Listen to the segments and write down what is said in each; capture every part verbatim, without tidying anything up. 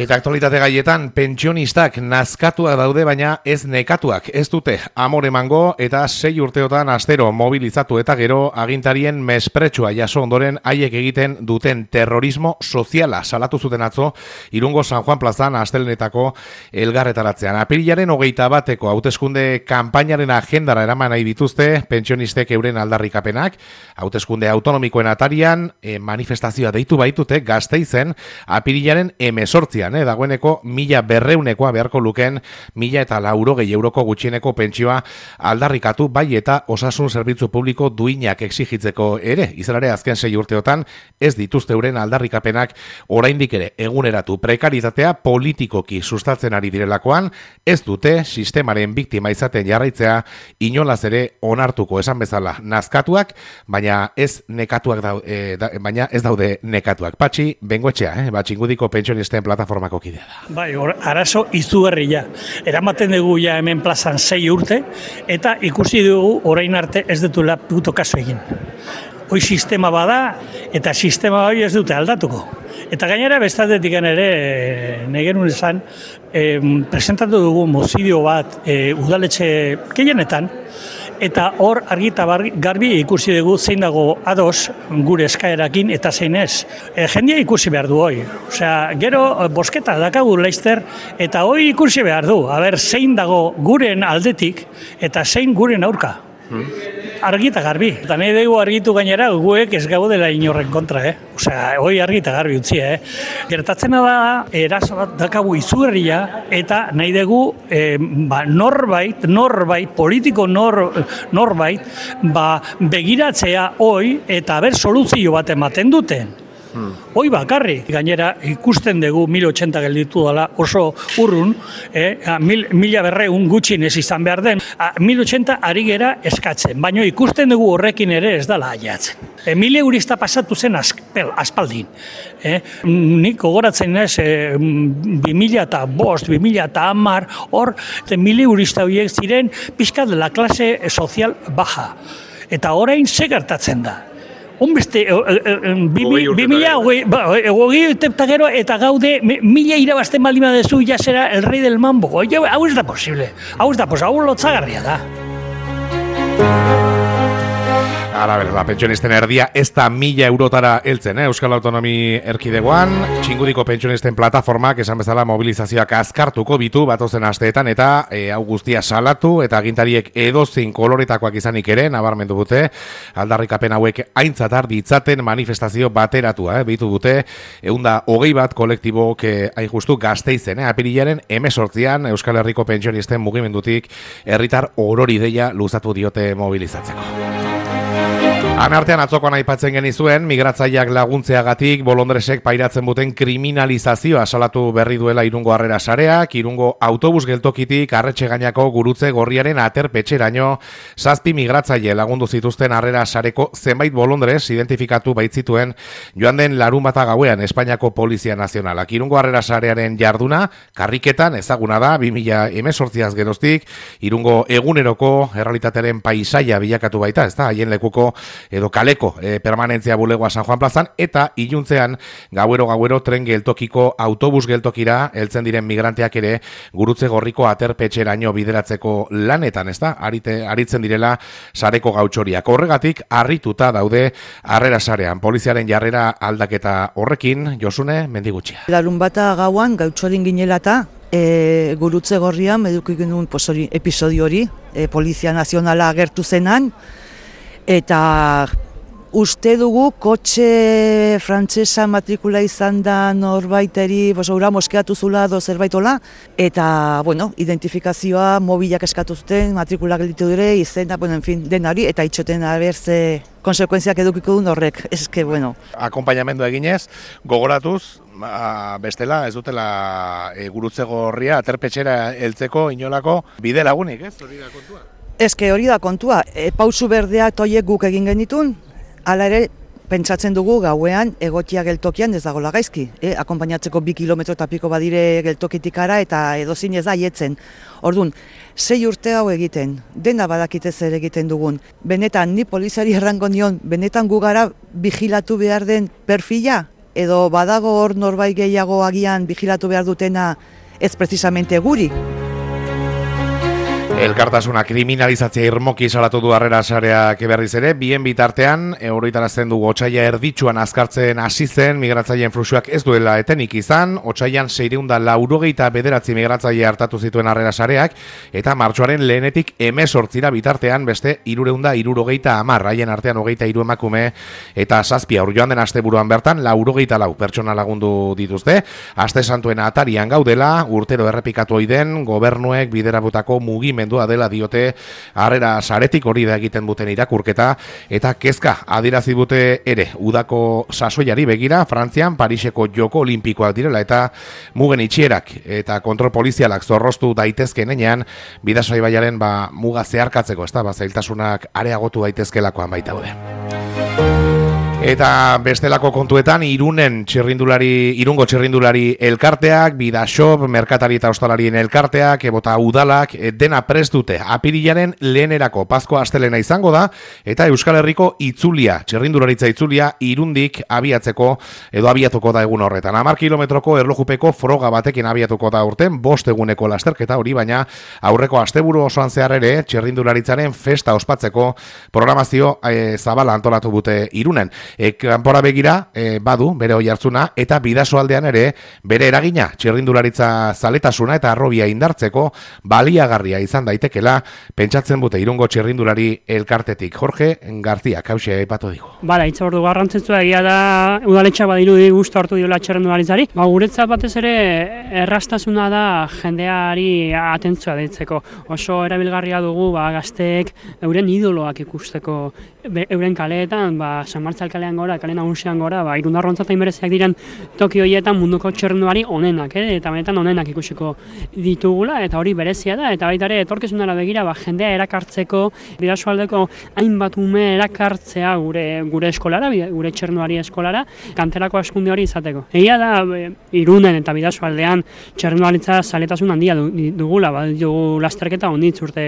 Eta aktualitate gaietan, pentsionistak nazkatuak daude, baina ez nekatuak. Ez dute amor emango eta sei urteotan astero mobilizatu eta gero agintarien mespretsua jaso ondoren haiek egiten duten terrorismo soziala salatu zuten atzo Irungo San Juan plazan astelenetako elgarretaratzean. Apirilaren hogeita bateko hauteskunde kanpainaren agendara eraman nahi dituzte pentsionistek euren aldarrikapenak. Hauteskunde autonomikoen atarian e, manifestazioa deitu baitute Gasteizen apirilaren hemezortzian. Eh, dagoeneko mila berreunekoa beharko luken mila eta laurogei euroko gutxieneko pentsioa aldarrikatu bai eta osasun zerbitzu publiko duinak exigitzeko ere. Izan ere azken sei urteotan ez dituzte euren aldarrikapenak oraindik ere eguneratu prekaritatea politikoki sustatzen ari direlakoan ez dute sistemaren biktima izaten jarraitzea inolaz ere onartuko esan bezala nazkatuak, baina ez nekatuak dau, e, da, baina ez daude nekatuak. Patxi Bengoetxea, eh, Batxingudiko pentsionisten plataformako kidea da. Bai, or, arazo izugarria. Eramaten dugu ja hemen plazan sei urte, eta ikusi dugu orain arte ez dutela puto kaso egin. Hoi sistema bada, eta sistema hori ez dute aldatuko. Eta gainera bestatetik ere, negenun esan, e, presentatu dugu mozio bat e, udaletxe gehienetan, eta hor argita garbi ikusi dugu zein dago ados gure eskaerakin eta zein ez. E, jendia ikusi behar du hoi. Osea, gero bosketa dakagu Leister eta hoi ikusi behar du. Aber, zein dago guren aldetik eta zein guren aurka. Hmm. Argita garbi. Eta nahi dugu argitu gainera guek ez gaudela inorren kontra, eh? Osea, hoi argita garbi utzi, eh? Gertatzena da, eraso bat dakagu izugarria eta nahi dugu eh, ba, norbait, norbait, politiko nor, norbait, ba, begiratzea hoi eta ber soluzio bat ematen duten. Hmm. Hoi bakarrik, gainera ikusten dugu mila ochenta gelditu dela oso urrun, eh, mil, mila berreun gutxinez izan behar den, mila ochenta ari gera eskatzen, baina ikusten dugu horrekin ere ez dela aiatzen. E, mila eurista pasatu zen aspel, aspaldin. Eh, nik gogoratzen ez, e, bi mila eta bost, bi mila eta hamar, hor, mila eurista horiek ziren pixka de la klase sozial baja. Eta orain ze gertatzen da. Honbeste, bi mila hogei eta gero eta gaude mila irabazten baldin badezu jasera el rey del mambo. Hau ez da posible, hau ez da posible, hau lotzagarria da. Ara, ber, ba, pentsionisten erdia ez da mila eurotara heltzen, eh? Euskal Autonomi Erkidegoan, Txingudiko pentsionisten plataformak esan bezala mobilizazioak azkartuko bitu batozen asteetan eta e, hau guztia salatu eta agintariek edozin koloretakoak izanik ere, nabarmendu dute, aldarrikapen hauek aintzat har ditzaten manifestazio bateratua, eh? Bitu dute, ehunda hogei bat kolektibok eh, hain justu Gasteizen, eh? Apirilaren hemezortzian Euskal Herriko pentsionisten mugimendutik herritar orori deia luzatu diote mobilizatzeko. Anartean atzokoan aipatzen genizuen, migratzaileak laguntzeagatik bolondresek pairatzen duten kriminalizazioa salatu berri duela Irungo Harrera Sareak, Irungo autobus geltokitik Arretxe gainako gurutze gorriaren aterpetxeraino zazpi migratzaile lagundu zituzten Harrera Sareko zenbait bolondres identifikatu baitzituen joan den larun bata gauean Espainiako Polizia Nazionalak. Irungo Harrera Sarearen jarduna karriketan ezaguna da bi mila hemezortziaz geroztik, Irungo eguneroko errealitatearen paisaia bilakatu baita, ez da, haien lekuko edo kaleko e, permanentzia bulegoa San Juan plazan, eta iluntzean gauero-gauero tren geltokiko autobus geltokira heltzen diren migranteak ere gurutze gorriko aterpetxeraino bideratzeko lanetan, ez da, Arite, aritzen direla sareko gautxoriak. Horregatik, harrituta daude Harrera Sarean. Poliziaren jarrera aldaketa horrekin, Josune Mendigutxia. Larun bata gauan gautxorin ginelata, e, gurutze gorrian, eduki genuen pues, hori, episodio hori, e, Polizia Nazionala agertu zenan, eta uste dugu kotxe frantsesa matrikula izan da norbaiteri, bosaura moskeatu zula do zerbaitola, eta, bueno, identifikazioa mobilak eskatu zuten, matrikula gelditu dire, izena, bueno, en fin, denari, eta itxoten abertze konsekuentziak edukiko duen horrek, eske, bueno. Akompainamendu eginez, gogoratuz, ba, bestela, ez dutela e, gurutze gorria, aterpetxera heltzeko inolako bide lagunik, ez? Hori da kontua? Eske hori da kontua, e, pausu berdeak toiek guk egin genitun, hala ere pentsatzen dugu gauean egokia geltokian ez dagoela gaizki. E, akonpainatzeko bi kilometro eta piko badire geltokitik ara eta edozin ez da aietzen. Orduan, sei urte hau egiten, dena badakite zer egiten dugun. Benetan, ni poliziari errango nion, benetan gu gara vigilatu behar den perfila, edo badago hor norbait gehiago agian vigilatu behar dutena ez precisamente guri. Elkartasuna kriminalizatzea irmoki salatu du Harrera Sareak berriz ere, bien bitartean, oroitarazten dugu otsaila erditsuan azkartzen hasi zen migratzaileen fluxuak ez duela etenik izan, otsailan seiehun eta laurogeita bederatzi migratzaile hartatu zituen Harrera Sareak, eta martxoaren lehenetik hemezortzira bitartean beste hirurehun eta hirurogeita hamar, haien artean hogeita hiru emakume eta zazpi haur. Joan den asteburuan bertan laurogeita lau pertsona lagundu dituzte, aste santuen atarian gaudela, urtero errepikatu ohi den gobernuek biderabutako mugimendu dela diote Harrera Saretik, hori da egiten duten irakurketa, eta kezka adierazi dute ere udako sasoiari begira, Frantzian Pariseko Joko Olimpikoak direla eta mugen itxierak eta kontrol polizialak zorroztu daitezkeen enean Bidasoa ibaiaren ba, muga zeharkatzeko, ez da, ba, zailtasunak areagotu daitezkelakoan baita daude. Eta bestelako kontuetan Irunen txirrindulari, Irungo txirrindulari elkarteak, Bidasoa, merkatari eta ostalarien elkarteak, ebota udalak, dena prest dute. Apirilaren lehenerako Pasko astelena izango da, eta Euskal Herriko itzulia, txirrindularitza itzulia, Irundik abiatzeko edo abiatuko da egun horretan. Hamar kilometroko erlojupeko froga batekin abiatuko da urten, bost eguneko lasterketa hori, baina aurreko asteburu osoan zehar ere, txirrindularitzaren festa ospatzeko programazio e, zabala antolatu dute Irunen. E, kanpora begira e, badu bere oihartzuna eta Bidasoaldean ere bere eragina txirrindularitza zaletasuna eta arrobia indartzeko baliagarria izan daitekela pentsatzen dute Irungo txirrindulari elkartetik. Jorge García kauxe aipatu digu. Bala, hitza ordu garrantzitsua egia da udaletxa badirudi gustu hartu diola txirrindularitzari. Ba, guretzat batez ere errastasuna da jendeari atentzioa deitzeko. Oso erabilgarria dugu ba, gazteek euren idoloak ikusteko be, euren kaleetan, ba, San Martzal kalean gora, kale nagusian gora, ba, irundarrontzat bereziak diren toki horietan munduko txirrindulari onenak, eh? Eta benetan onenak ikusiko ditugula, eta hori berezia da, eta baita ere etorkizunera begira, ba, jendea erakartzeko, Bidasoaldeko hainbat ume erakartzea gure gure eskolara, gure txirrindulari eskolara, kanterako askunde hori izateko. Egia da, e, Irunen eta Bidasoaldean txirrindularitza zaletasun handia dugula, ba, dugu lasterketa onditz urte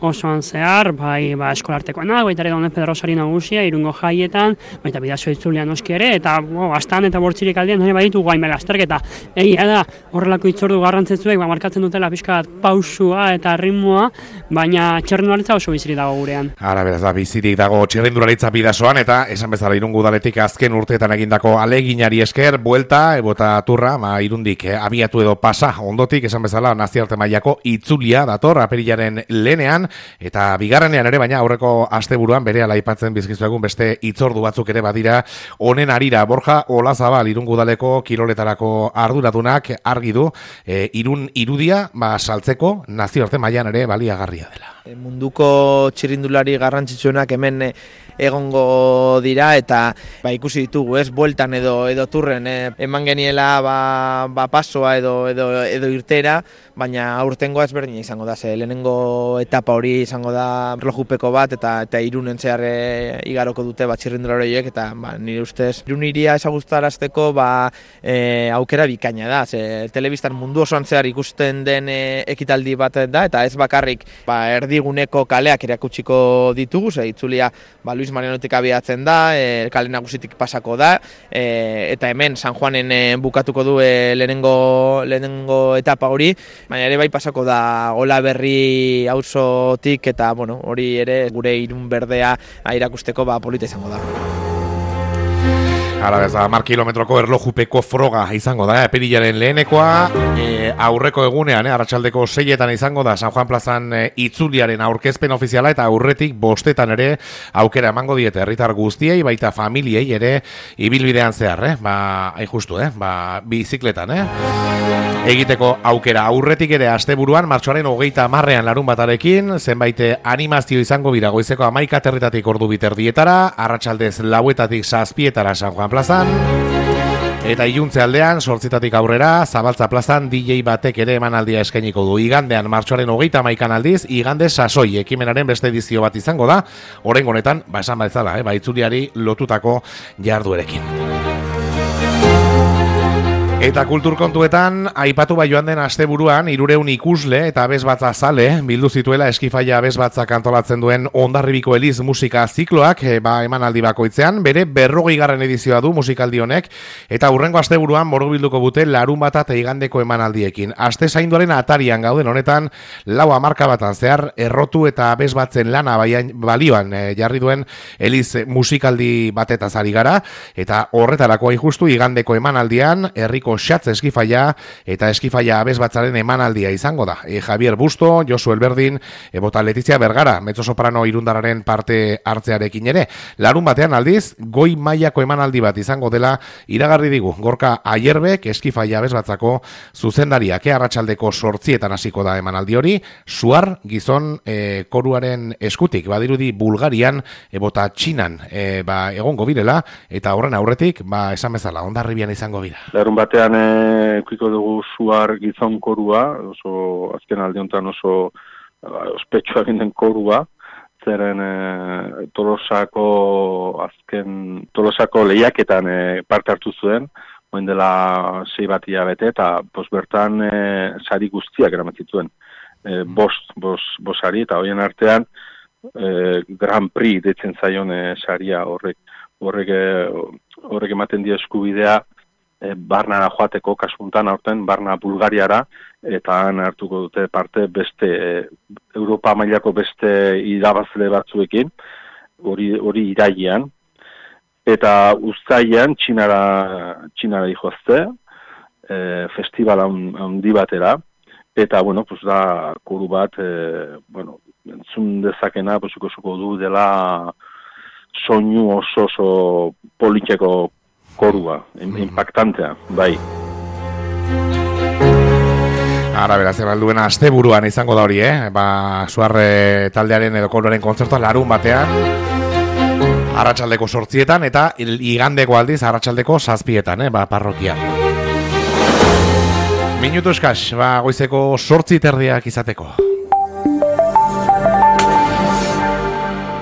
osoan zehar, bai, ba, eskolartekoena, baita ere Don Pedro Sari nagusia, Irungo jaietan, baita Bidasoa itzulia noski ere, eta bo, astan eta bortzirik aldean hori baditu guain lasterketa. Egia da, horrelako itzordu garrantzitsuek ba, markatzen dutela pixka bat pausua eta ritmoa, baina txirrindularitza oso bizirik dago gurean. Ara beraz da, bizirik dago txirrindularitza Bidasoan, eta esan bezala Irungo udaletik azken urteetan egindako aleginari esker, buelta, ebota turra, ma, Irundik eh, abiatu edo pasa ondotik, esan bezala naziarte mailako itzulia dator apirilaren lehenean, eta bigarrenean ere, baina aurreko asteburuan bere aipatzen bizkizuegun beste itzordu batzuk ere badira honen arira. Borja Olazabal Irungo udaleko kiroletarako arduradunak argi du e, Irun irudia ba, saltzeko nazioarte mailan ere baliagarria dela. Munduko txirrindulari garrantzitsuenak hemen egongo dira eta ba, ikusi ditugu, ez, bueltan edo edo turren eh, eman geniela ba, ba pasoa edo edo edo irtera, baina aurtengoa ezberdina izango da, ze lehenengo etapa hori izango da erlojupeko bat eta eta Irunen zehar e, igaroko dute ba txirrindulari horiek eta ba nire ustez Irun hiria ezagustarazteko ba e, aukera bikaina da, ze telebistan mundu osoan zehar ikusten den e, ekitaldi bat da eta ez bakarrik ba erdiguneko kaleak erakutsiko ditugu, ze itzulia ba Luis Marianotik abiatzen da, e, kale nagusitik pasako da, e, eta hemen San Juanen e, bukatuko du e, lehenengo, lehenengo etapa hori, baina ere bai pasako da Olaberri auzotik eta bueno, hori ere gure Irun berdea irakusteko ba polita izango da. Hala bez, hamar kilometroko erlojupeko froga izango da, apirilaren lehenekoa, e, aurreko egunean, e, arratsaldeko seietan izango da, San Juan plazan e, itzuliaren aurkezpen ofiziala eta aurretik bostetan ere aukera emango diete herritar guztiei, baita familiei ere ibilbidean zehar, eh? Ba, hain justu, eh? Ba, bizikletan, eh? Egiteko aukera aurretik ere asteburuan, martxoaren hogeita hamarrean larun batarekin, zenbait animazio izango bira goizeko hamaika territatik ordu biterdietara, arratsaldez lauetatik zazpietara San Juan plazan, eta iluntze aldean, sortzitatik aurrera, Zabaltza plazan D J batek ere emanaldia eskainiko du. Igandean, martxoaren hogeita hamaikan aldiz, igande sasoi ekimenaren beste edizio bat izango da, oraingo honetan, ba esan bezala, eh, ba itzuliari lotutako jarduerekin. Eta kulturkontuetan, aipatu bai joan den asteburuan hirureun ikusle eta abesbatza zale bildu zituela Eskifaia abesbatzak antolatzen duen Hondarribiko Eliz musika zikloak e, ba, emanaldi bakoitzean, bere berrogeigarren edizioa du musikaldi honek, eta hurrengo asteburuan borobilduko bute larun bata eta igandeko emanaldiekin. Aste zainduaren atarian gauden honetan, lau hamarka batan zehar errotu eta abesbatzen lana baian, balioan e, jarri duen Eliz musikaldi batetaz ari gara, eta horretarako justu igandeko emanaldian, herriko Xatz Eskifaia eta Eskifaia abesbatzaren emanaldia izango da. E, Javier Busto, Josu Elberdin, ebota Letizia Bergara, mezzosoprano irundararen parte hartzearekin ere. Larun batean aldiz, goi mailako emanaldi bat izango dela iragarri digu. Gorka Aierbek Eskifaia abesbatzako zuzendariak, arratsaldeko sortzietan hasiko da emanaldi hori, suar gizon e, koruaren eskutik, badirudi Bulgarian ebota Txinan e, ba, egongo birela, eta horren aurretik, ba, esan bezala, Hondarribian izango bira. Larun batean ikuiko dugu suar gizon korua, oso azken aldi honetan oso ospetsua egin den korua, zeren e, Tolosako azken Tolosako lehiaketan e, parte hartu zuen, oin dela sei bat hilabete, eta pos bertan e, sari guztiak eramatzituen. E, bost, bost, bost sari, eta horien artean e, Grand Prix deitzen zaion e, saria horrek, horrek, e, horrek ematen dio eskubidea E, barnara joateko kasuntan aurten, barna Bulgariara, eta han hartuko dute parte beste, e, Europa mailako beste irabazle batzuekin, hori hori irailean, eta uztailean Txinara, Txinara dihoazte, e, festival handi batera, eta, bueno, pues da, koru bat, e, bueno, entzun dezakena, pues, ikosiko du dela soinu oso oso politeko korua, impactantea, bai. Ara, beraz, ebalduen asteburuan izango da hori, eh? Ba, suarre taldearen edo koloren kontzertua larun batean, arratsaldeko sortzietan, eta igandeko aldiz, arratsaldeko zazpietan, eh? Ba, parrokian. Minutu eskaz, ba, goizeko sortzi terdiak izateko.